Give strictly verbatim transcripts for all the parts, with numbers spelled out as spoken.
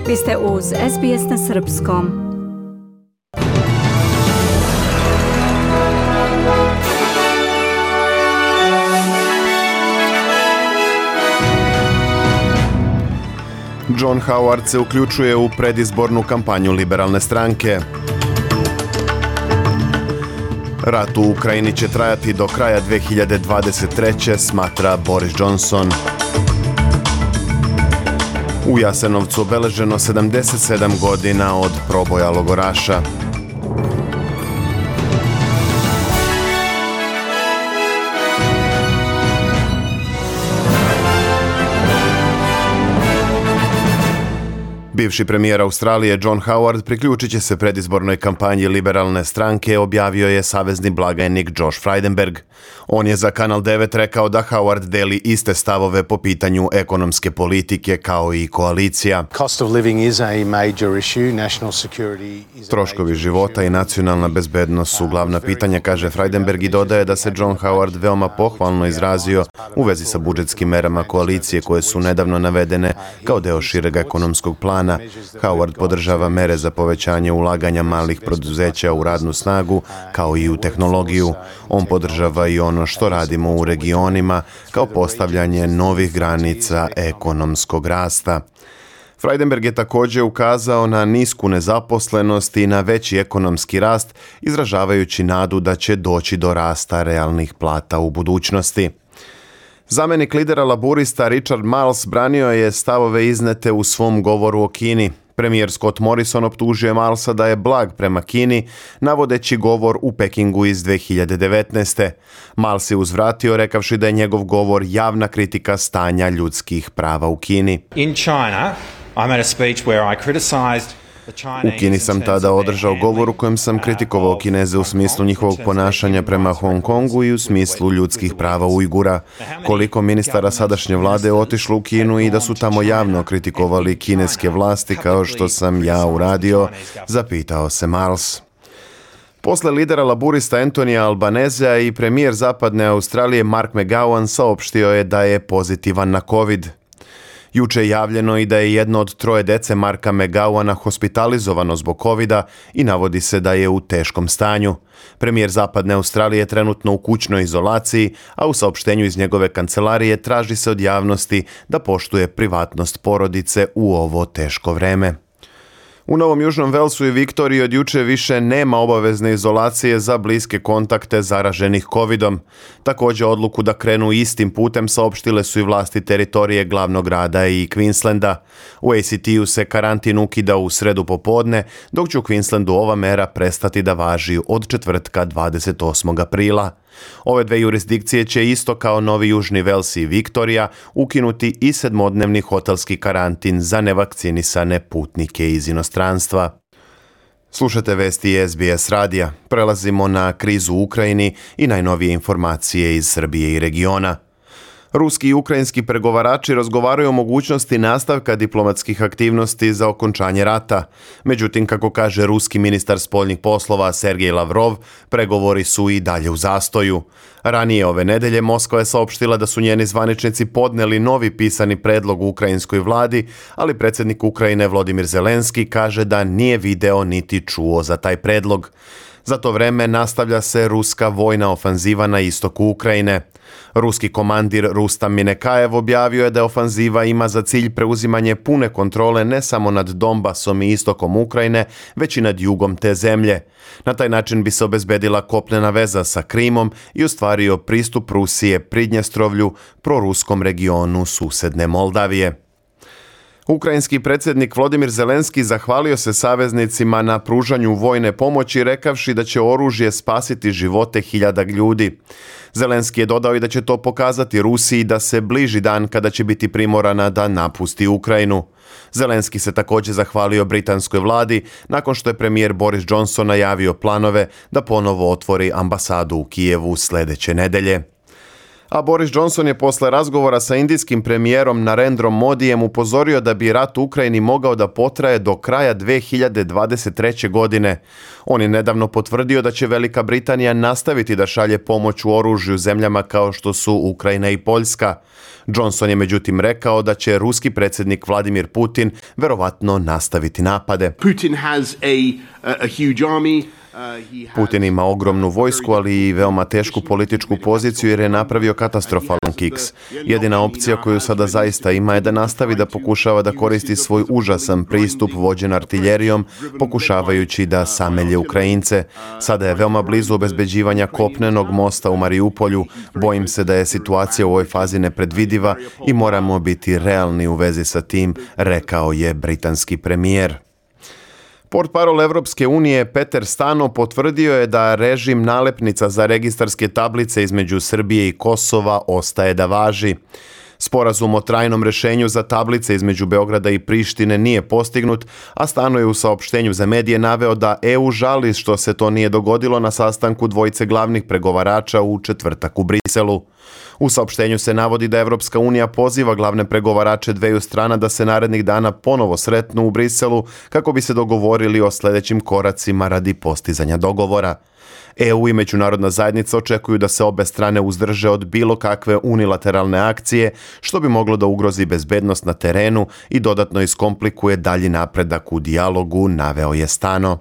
Vi ste uz S B S na srpskom. John Howard se uključuje u predizbornu kampanju liberalne stranke. Rat u Ukrajini će trajati do kraja dve hiljade dvadeset treće, smatra Boris Johnson. U Jasenovcu obeleženo sedamdeset sedam godina od proboja logoraša. Bivši premijer Australije John Howard priključit će se predizbornoj kampanji liberalne stranke, objavio je savezni blagajnik Josh Frydenberg. On je za Kanal devet rekao da Howard deli iste stavove po pitanju ekonomske politike kao i koalicija. Troškovi života i nacionalna bezbednost su glavna pitanja, kaže Frydenberg, i dodaje da se John Howard veoma pohvalno izrazio u vezi sa budžetskim merama koalicije koje su nedavno navedene kao deo šireg ekonomskog plana. Howard podržava mere za povećanje ulaganja malih preduzeća u radnu snagu kao i u tehnologiju. On podržava i ono što radimo u regionima kao postavljanje novih granica ekonomskog rasta. Frydenberg je također ukazao na nisku nezaposlenost i na veći ekonomski rast, izražavajući nadu da će doći do rasta realnih plata u budućnosti. Zamenik lidera laburista Richard Marles branio je stavove iznete u svom govoru o Kini. Premijer Scott Morrison optužio Marlesa da je blag prema Kini, navodeći govor u Pekingu iz dve hiljade devetnaeste. Marles je uzvratio rekavši da je njegov govor javna kritika stanja ljudskih prava u Kini. In China, I made a speech where I criticized U Kini sam tada održao govor u kojem sam kritikovao Kineze u smislu njihovog ponašanja prema Hong Kongu i u smislu ljudskih prava Ujgura. Koliko ministara sadašnje vlade otišlo u Kinu i da su tamo javno kritikovali kineske vlasti kao što sam ja uradio, zapitao se Marles. Posle lidera laburista Antonija Albanezea i premijer zapadne Australije Mark McGowan saopštio je da je pozitivan na COVID. Juče je javljeno i da je jedno od troje dece Marka McGowana hospitalizovano zbog covida i navodi se da je u teškom stanju. Premijer zapadne Australije je trenutno u kućnoj izolaciji, a u saopštenju iz njegove kancelarije traži se od javnosti da poštuje privatnost porodice u ovo teško vreme. U Novom Južnom Velsu i Viktoriji od juče više nema obavezne izolacije za bliske kontakte zaraženih covidom. Također odluku da krenu istim putem saopštile su i vlasti teritorije glavnog grada i Queenslanda. U A C T-u se karantin ukida u sredu popodne, dok će u Queenslandu ova mera prestati da važi od četvrtka dvadeset osmog aprila. Ove dve jurisdikcije će isto kao Novi Južni Vels i Viktorija ukinuti i sedmodnevni hotelski karantin za nevakcinisane putnike iz inostranstva. Slušate vesti S B S radija. Prelazimo na krizu u Ukrajini i najnovije informacije iz Srbije i regiona. Ruski i ukrajinski pregovarači razgovaraju o mogućnosti nastavka diplomatskih aktivnosti za okončanje rata. Međutim, kako kaže ruski ministar spoljnih poslova Sergej Lavrov, pregovori su i dalje u zastoju. Ranije ove nedelje Moskva je saopštila da su njeni zvaničnici podneli novi pisani predlog u ukrajinskoj vladi, ali predsjednik Ukrajine Volodymyr Zelenski kaže da nije video niti čuo za taj predlog. Za to vreme nastavlja se ruska vojna ofanziva na istoku Ukrajine. Ruski komandir Rustam Minekajev objavio je da ofanziva ima za cilj preuzimanje pune kontrole ne samo nad Donbasom i istokom Ukrajine, već i nad jugom te zemlje. Na taj način bi se obezbedila kopnena veza sa Krimom i ostvario pristup Rusije Pridnjestrovlju, proruskom regionu susedne Moldavije. Ukrajinski predsjednik Volodymyr Zelenski zahvalio se saveznicima na pružanju vojne pomoći, rekavši da će oružje spasiti živote hiljada ljudi. Zelenski je dodao i da će to pokazati Rusiji da se bliži dan kada će biti primorana da napusti Ukrajinu. Zelenski se također zahvalio britanskoj vladi nakon što je premijer Boris Johnson najavio planove da ponovo otvori ambasadu u Kijevu sljedeće nedelje. A Boris Johnson je posle razgovora sa indijskim premijerom Narendrom Modijem upozorio da bi rat u Ukrajini mogao da potraje do kraja dve hiljade dvadeset treće. godine. On je nedavno potvrdio da će Velika Britanija nastaviti da šalje pomoć u oružju zemljama kao što su Ukrajina i Poljska. Johnson je međutim rekao da će ruski predsjednik Vladimir Putin verovatno nastaviti napade. Putin has a, a huge army. Putin ima ogromnu vojsku, ali i veoma tešku političku poziciju jer je napravio katastrofalan kiks. Jedina opcija koju sada zaista ima je da nastavi da pokušava da koristi svoj užasan pristup vođen artiljerijom, pokušavajući da samelje Ukrajince. Sada je veoma blizu obezbeđivanja kopnenog mosta u Mariupolju. Bojim se da je situacija u ovoj fazi nepredvidiva i moramo biti realni u vezi sa tim, rekao je britanski premijer. Portparol Evropske unije Peter Stano potvrdio je da režim nalepnica za registarske tablice između Srbije i Kosova ostaje da važi. Sporazum o trajnom rešenju za tablice između Beograda i Prištine nije postignut, a Stano je u saopštenju za medije naveo da E U žali što se to nije dogodilo na sastanku dvojice glavnih pregovarača u četvrtak u Briselu. U saopštenju se navodi da Evropska unija poziva glavne pregovarače dveju strana da se narednih dana ponovo sretnu u Briselu kako bi se dogovorili o sljedećim koracima radi postizanja dogovora. E U i međunarodna zajednica očekuju da se obe strane uzdrže od bilo kakve unilateralne akcije, što bi moglo da ugrozi bezbednost na terenu i dodatno iskomplikuje dalji napredak u dijalogu, naveo je Stano.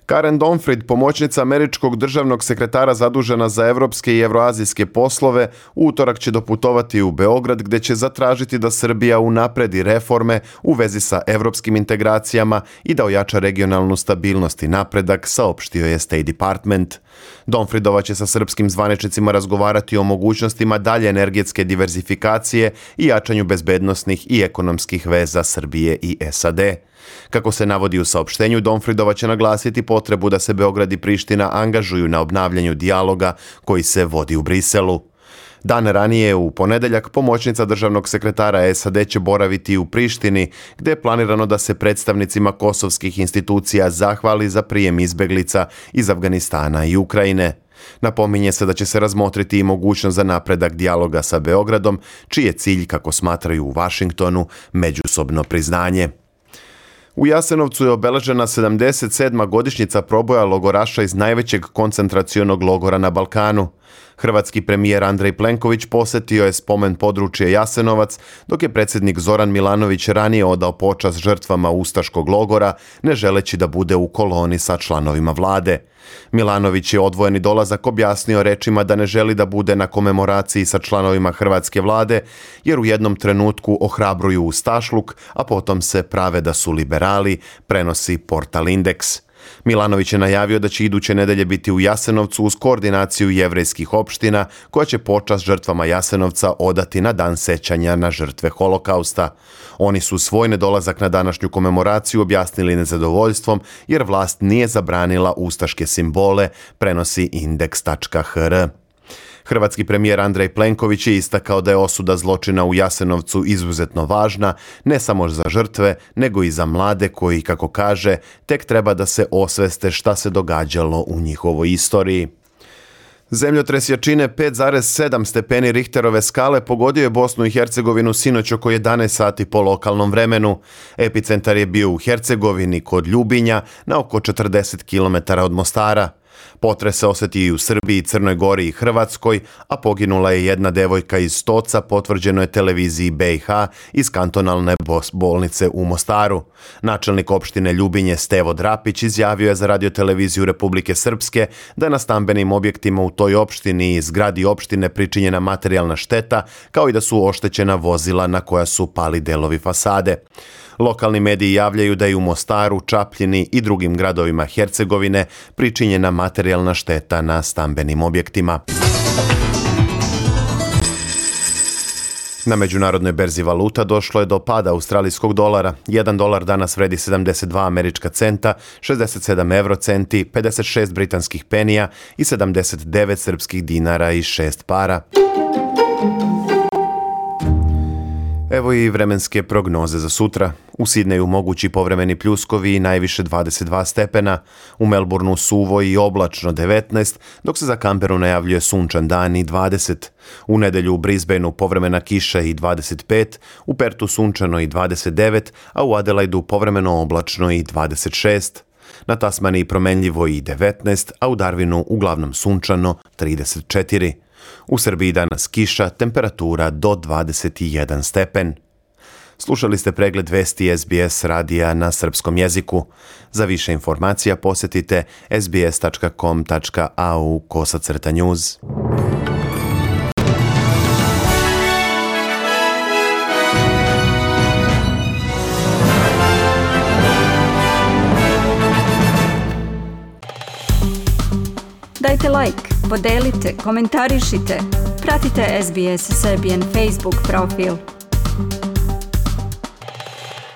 Karen Donfrid, pomoćnica američkog državnog sekretara zadužena za evropske i evroazijske poslove, u utorak će doputovati u Beograd gdje će zatražiti da Srbija unapredi reforme u vezi sa evropskim integracijama i da ojača regionalnu stabilnost i napredak, saopštio je State Department. Donfridova će sa srpskim zvaničnicima razgovarati o mogućnostima dalje energetske diverzifikacije i jačanju bezbednosnih i ekonomskih veza Srbije i S A D. Kako se navodi u saopštenju, Donfridova će naglasiti potrebu da se Beograd i Priština angažuju na obnavljanju dijaloga koji se vodi u Briselu. Dan ranije, u ponedeljak, pomoćnica državnog sekretara S A D će boraviti u Prištini, gdje je planirano da se predstavnicima kosovskih institucija zahvali za prijem izbeglica iz Afganistana i Ukrajine. Napominje se da će se razmotriti i mogućnost za napredak dijaloga sa Beogradom, čiji je cilj, kako smatraju u Vašingtonu, međusobno priznanje. U Jasenovcu je obeležena sedamdeset sedma godišnjica proboja logoraša iz najvećeg koncentracionog logora na Balkanu. Hrvatski premijer Andrej Plenković posjetio je spomen područje Jasenovac, dok je predsjednik Zoran Milanović ranije odao počast žrtvama ustaškog logora, ne želeći da bude u koloni sa članovima vlade. Milanović je odvojeni dolazak objasnio rečima da ne želi da bude na komemoraciji sa članovima hrvatske vlade, jer u jednom trenutku ohrabruju ustašluk, a potom se prave da su liberali, prenosi portal Indeks. Milanović je najavio da će iduće nedelje biti u Jasenovcu uz koordinaciju jevrejskih opština, koja će počast žrtvama Jasenovca odati na dan sećanja na žrtve Holokausta. Oni su svoj nedolazak na današnju komemoraciju objasnili nezadovoljstvom jer vlast nije zabranila ustaške simbole, prenosi indeks tačka h r. Hrvatski premijer Andrej Plenković je istakao da je osuda zločina u Jasenovcu izuzetno važna, ne samo za žrtve, nego i za mlade koji, kako kaže, tek treba da se osveste šta se događalo u njihovoj istoriji. Zemljotres jačine pet zarez sedam stepeni Richterove skale pogodio je Bosnu i Hercegovinu sinoć oko jedanaest sati po lokalnom vremenu. Epicentar je bio u Hercegovini kod Ljubinja na oko četrdeset kilometara od Mostara. Potres se osjetio i u Srbiji, Crnoj Gori i Hrvatskoj, a poginula je jedna devojka iz Stoca, potvrđeno je televiziji B i H iz kantonalne bolnice u Mostaru. Načelnik opštine Ljubinje Stevo Drapić izjavio je za radioteleviziju Republike Srpske da je na stambenim objektima u toj opštini i zgradi opštine pričinjena materijalna šteta, kao i da su oštećena vozila na koja su pali delovi fasade. Lokalni mediji javljaju da je u Mostaru, Čapljini i drugim gradovima Hercegovine pričinjena materijalna šteta na stambenim objektima. Na međunarodnoj berzi valuta došlo je do pada australijskog dolara. Jedan dolar danas vredi sedamdeset dva američka centa, šezdeset sedam euro centi, pedeset šest britanskih penija i sedamdeset devet srpskih dinara i šest para. Evo i vremenske prognoze za sutra. U Sidneju mogući povremeni pljuskovi i najviše dvadeset dva stepena, u Melbourneu suvo i oblačno devetnaest, dok se za Canberu najavljuje sunčan dan i dvadeset. U nedelju u Brisbaneu povremena kiša i dvadeset pet, u Pertu sunčano i dvadeset devet, a u Adelaidu povremeno oblačno i dvadeset šest. Na Tasmaniji promenljivo i devetnaest, a u Darwinu uglavnom sunčano trideset četiri. U Srbiji danas kiša, temperatura do dvadeset jedan stepen. Slušali ste pregled vesti S B S radija na srpskom jeziku. Za više informacija posjetite sbs.com.au kosacrta news. Dajte like, podelite, komentarišite. Pratite S B S Serbian Facebook profil.